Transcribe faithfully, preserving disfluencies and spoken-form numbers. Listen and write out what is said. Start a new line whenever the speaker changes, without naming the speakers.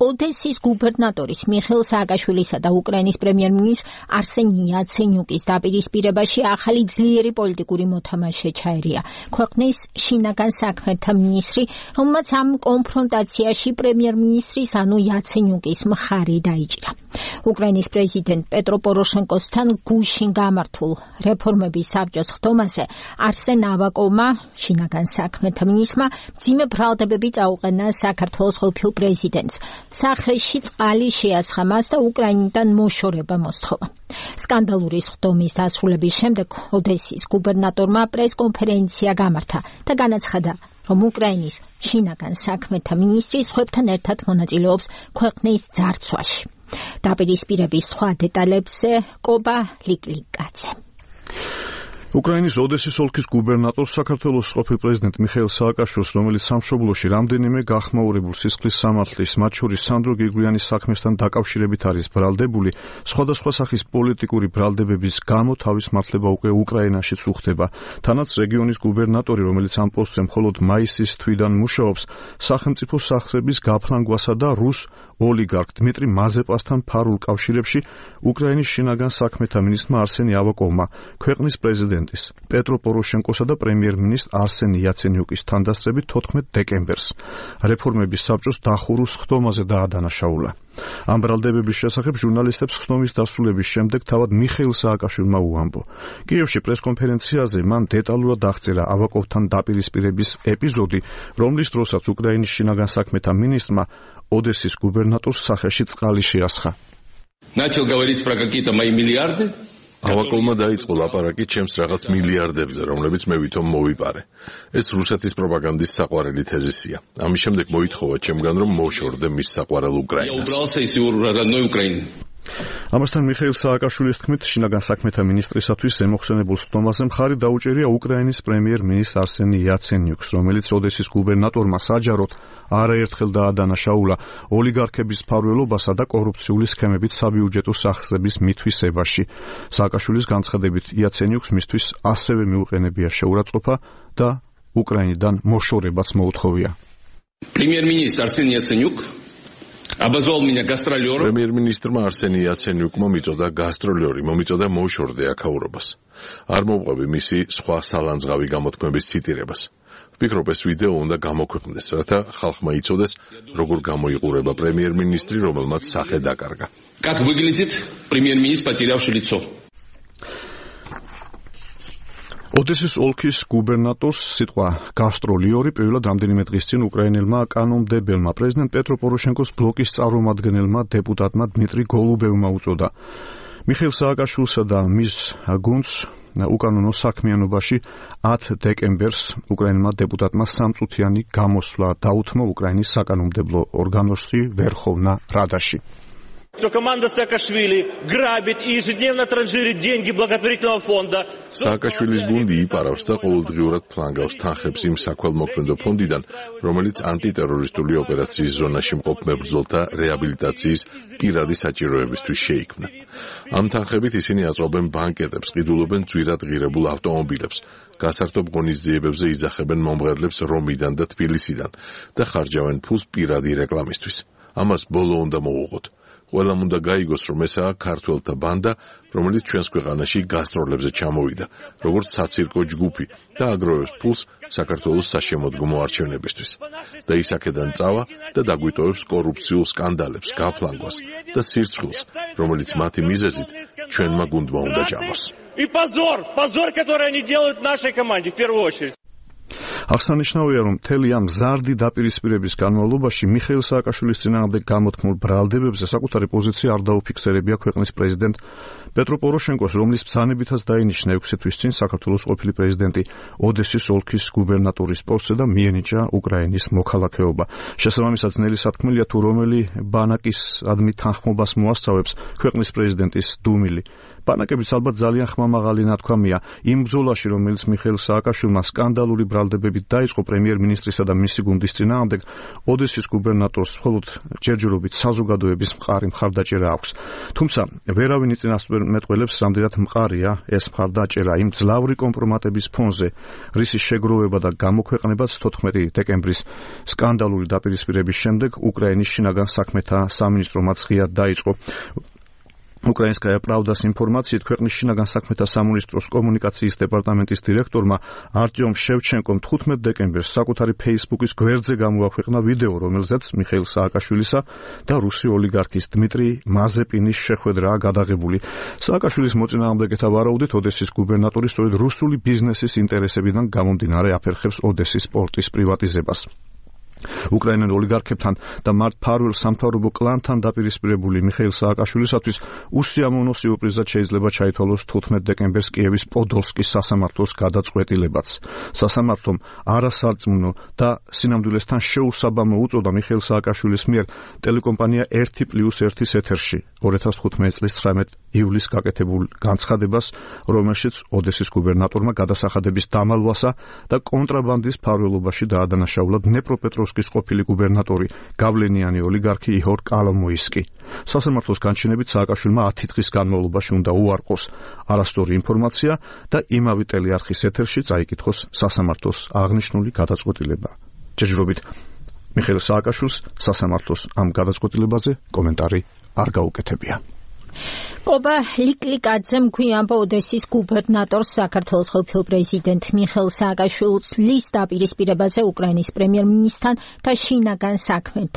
ოდესის გუბერნატორის მიხეილ სააკაშვილისა და უკრაინის პრემიერ-მინისტრის არსენ იაცენიუკის დაპირისპირებაში ახალი ძლიერი პოლიტიკური მოთამაშე ჩაერია ქვეყნის შინაგან საქმეთა მინისტრი, რომელმაც ამ კონფრონტაციაში პრემიერ-მინისტრის ანუ იაცენიუკის მხარე დაიჭირა. უკრაინის პრეზიდენტ პეტრო პოროშენკოსთან გუშინ გამართულ რეფორმების საბჭოს ხდომაზე არსენ ავაკოვმა, შინაგან საქმეთა მინისტრმა, მძიმე ბრალდებები წაუყენა საქართველოს ყოფილ პრეზიდენტს. სახეში წყალი შეასხა მას და უკრაინიდან მოშორება მოსთხოვა. სკანდალური სხდომის დასრულების შემდეგ ოდესის გუბერნატორმა პრესკონფერენცია გამართა და განაცხადა, რომ უკრაინის შინაგან საქმეთა მინისტრი სხვებთან ერთად მონაწილეობს ქვეყნის ძარცვაში. დაპირისპირების სხვა დეტალებზე კობა ლიკლიკაძე.
უკრაინის ოდესის ოლქის გუბერნატორს საქართველოს ყოფილ პრეზიდენტ მიხეილ სააკაშვილს, რომელიც სამშობლოში რამდენიმე გახმაურებულ სისხლის სამართლის, მათ შორის სანდრო გირგვლიანის საქმესთან დაკავშირებით არის ბრალდებული, სხვადასხვა სახის პოლიტიკური ბრალდებების გამო თავის მართლება უკვე უკრაინაშიც უხდება. თანაც რეგიონის გუბერნატორი, რომელიც ამ პოსტზე მხოლოდ მაისის თვიდან მუშაობს, სახელმწიფო სახსრების გაფლანგვასა და რუს ოლიგარქ დმიტრი მაზეპასთან ფარულ კავშირებში უკრაინის შინაგან საქმეთა მინისტრმა არსენი ავაკოვმა ქვეყნის პრეზიდენტის პეტრო პოროშენკოსა და პრემიერ-მინისტრ არსენ იაცენიუკის თანდასწრებით თოთხმეტ დეკემბერს რეფორმების საბჭოს დახურულ ხდომაზე დაადანაშაულა. ამ ბრალდებების შესახებ ჟურნალისტებს ხდომის დასრულების შემდეგ თავად მიხეილ სააკაშვილმა უამბო. კიევში პრესკონფერენციაზე მან დეტალურად აღწერა ავაკოვთან დაპირისპირების ეპიზოდი, რომლის დროსაც უკრაინის შინაგან საქმეთა მინისტრმა ოდესის გუბერნატორს სახეში წყალი შეასხა.
Начал говорить про какие-то мои миллиарды.
ავაკოვმა დაიწყო ლაპარაკი ჩემს რაღაც მილიარდებზე, რომლებიც მე ვითომ მოვიპარე. ეს რუსეთის პროპაგანდის საყვარელი თეზისია. ამის შემდეგ მოითხოვა ჩემგან, რომ მოვშორდე მის საყვარელ უკრაინას. ამასთან მიხეილ სააკაშვილის თქმით, შინაგან საქმეთა მინისტრისათვის ზემოხსენებულ ხდომაზე მხარი დაუჭერია უკრაინის პრემიერ-მინისტრ არსენ იაცენიუკს, რომელიც ოდესის გუბერნატორმა საჯაროდ არაერთხელ დაადანაშაულა ოლიგარქების მფარველობასა და კორუფციული სქემებით საბიუჯეტო სახსრების მითვისებაში. სააკაშვილის განცხადებით, იაცენიუკს მისთვის ასევე მიუყენებია შეურაცხყოფა და უკრაინიდან მოშორებაც მოუთხოვია.
პრემიერ-მინისტр არსენ იაცენიუკ обозвал меня гастролером.
პრემიერ-მინისტრმა არსენ იაცენიუკმა მიწოდა გასტროლერი, მომიწოდა მოუშორდე აქაურობას. არ მოვყვები მისი სხვა სალანძღავი გამოთქმების ციტირებას. ვფიქრობ, ეს ვიდეო უნდა გამოქვეყნდეს, რათა ხალხმა იცოდეს, როგორ გამოიყურება პრემიერ-მინისტრი, რომელმაც სახე დაკარგა.
Как выглядит премьер-министр, потерявший лицо?
ოდესის ოლქის გუბერნატორს სიტყვა გასტროლიორი პირველად რამდენიმე დღის წინ უკრაინელმა კანონმდებელმა პრეზიდენტ პეტრო პოროშენკოს ბლოკის წარმომადგენელმა დეპუტატმა დმიტრი გოლუბევმა უწოდა. მიხეილ სააკაშვილსა და მის გუნდს უკანონო საქმიანობაში ათი დეკემბერს უკრაინელმა დეპუტატმა სამწუთიანი გამოსვლა დაუთმო უკრაინის საკანონმდებლო ორგანოში ვერხოვნა რადაში.
Что команда Саакашвили грабит и ежедневно транжирит деньги благотворительного фонда.
Სააკაშვილის გუნდი იპარავს და ყოველდღიურად ფლანგავს თანხებს იმ საქველმოქმედო ფონდიდან, რომელიც ანტიტერორისტული ოპერაციის ზონაში მყოფ მებრძოლთა რეაბილიტაციის პირადი საჭიროებისთვის შეიქმნა. ამ თანხებით ისინი აწვავენ ბანკეტებს, ყიდულობენ ძვირად ღირებულ ავტომობილებს, გასართობ ღონისძიებებზე იძახებენ მომღერლებს რომიდან და თბილისიდან და ხარჯავენ ფულს პირადი რეკლამისთვის. ამას ბოლო უნდა მოუღოთ. ყველამ უნდა გაიგოს, რომ ესაა ქართველთა ბანდა, რომელიც ჩვენს ქვეყანაში გასტროლებზე ჩამოვიდა, როგორც საცირკო ჯგუფი და აგროვებს ფულს საქართველოს საშემოდგომო არჩევნებისთვის. და ის აქედან წავა და დაგვიტოვებს კორუფციულ სკანდალებს, გაფლანგვას და სირცხვილს, რომელიც მათი მიზეზით ჩვენმა გუნდმა უნდა ჭამოს.
И позор, позор, который они делают нашей команде в первую очередь.
აღსანიშნავია, რომ მთელი ამ მზარდი დაპირისპირების განმავლობაში მიხეილ სააკაშვილის წინააღმდეგ გამოთქმულ ბრალდებებზე საკუთარი პოზიცია არ დაუფიქსერებია ქვეყნის პრეზიდენტ პეტრო პოროშენკოს, რომლის ბრძანებითაც დაინიშნა ექვსი თვის წინ საქართველოს ყოფილი პრეზიდენტი ოდესის ოლქის გუბერნატორის პოსტზე და მიენიჭა უკრაინის მოქალაქეობა. შესაბამისად, ძნელი სათქმელია თუ რომელი ბანაკის ადმი თანხმობას მოასწავებს ქვეყნის პრეზიდენტის დუმილი. ბანაკებიც ალბათ ძალიან ხმამაღალი ნათქვამია იმ ბრძოლაში, რომელიც მიხეილ სააკაშვილმა სკანდალური ბრალდებების მოქმედებით დაიწყო პრემიერ-მინისტრისა და მისი გუნდის წინააღმდეგ, ოდესის გუბერნატორს მხოლოდ ჯერჯერობით საზოგადოების მყარი მხარდაჭერა აქვს. თუმცა ვერავინ იწინასწარმეტყველებს, რამდენად მყარია ეს მხარდაჭერა იმ ძლავრი კომპრომატების ფონზე, რისის შეგროვება და გამოქვეყნებაც თოთხმეტი დეკემბრის სკანდალური დაპირისპირების შემდეგ უკრაინის შინაგან საქმეთა სამინისტრო მაცღია დაიწყო. Украинская правда-с информაციით ქვეყნის შინაგან საქმეთა სამინისტროს კომუნიკაციის დეპარტამენტის დირექტორმა არტიომ შევჩენკომ თხუთმეტ დეკემბერს საკუთარი Facebook-ის გვერდზე გამოაქვეყნა ვიდეო, რომელზეც მიხეილ სააკაშვილისა და რუსი ოლიგარქის დმიტრი მაზეპინის შეხვედრაა გადაღებული. სააკაშვილის მოწინააღმდეგეთა ვარაუდით, ოდესის გუბერნატორი სწორედ რუსული ბიზნესის ინტერესებიდან გამომდინარე აფერხებს ოდესის პორტის პრივატიზებას. უკრაინელ ოლიგარქებთან და მართ ფარველ სამთავრობო კლანთან დაპირისპირებული მიხეილ სააკაშვილისათვის უსიამოვნო სიურპრიზად შეიძლება ჩაითვალოს თხუთმეტ დეკემბერს კიევის პოდოლსკის სასამართლოს გადაწყვეტილებაც. სასამართლომ არასარწმუნო და სინამდვილესთან შეუსაბამო უწოდა მიხეილ სააკაშვილის მიერ ტელეკომპანია ერთი პლუს ერთის ეთერში ორი ათას თხუთმეტი წლის ცხრამეტ ივლისს გაკეთებულ განცხადებას, რომელშიც ოდესის გუბერნატორმა გადასახადების დამალვასა და კონტრაბანდის ფარველობაში დაადანაშაულა დნეპროპეტროვსკის ყოფილი გუბერნატორი, გავლენიანი ოლიგარქი იჰორ კოლომოისკი. სასამართლოს განჩინებით სააკაშვილმა ათი დღის განმავლობაში უნდა უარყოს არასწორი ინფორმაცია და იმავე ტელეარხის ეთერში წაიკითხოს სასამართლოს აღნიშნული გადაწყვეტილება. ჯერჯერობით მიხეილ სააკაშვილს სასამართლოს ამ გადაწყვეტილებაზე კომენტარი არ გაუკეთებია.
Კობა ლიკლიკაძემ გვიანბა ოდესის გუბერნატორს საქართველოს ყოფილ პრეზიდენტ მიხეილ სააკაშვილის დაპირისპირებაზე უკრაინის პრემიერ-მინისტრთან და შინაგან საქმეთა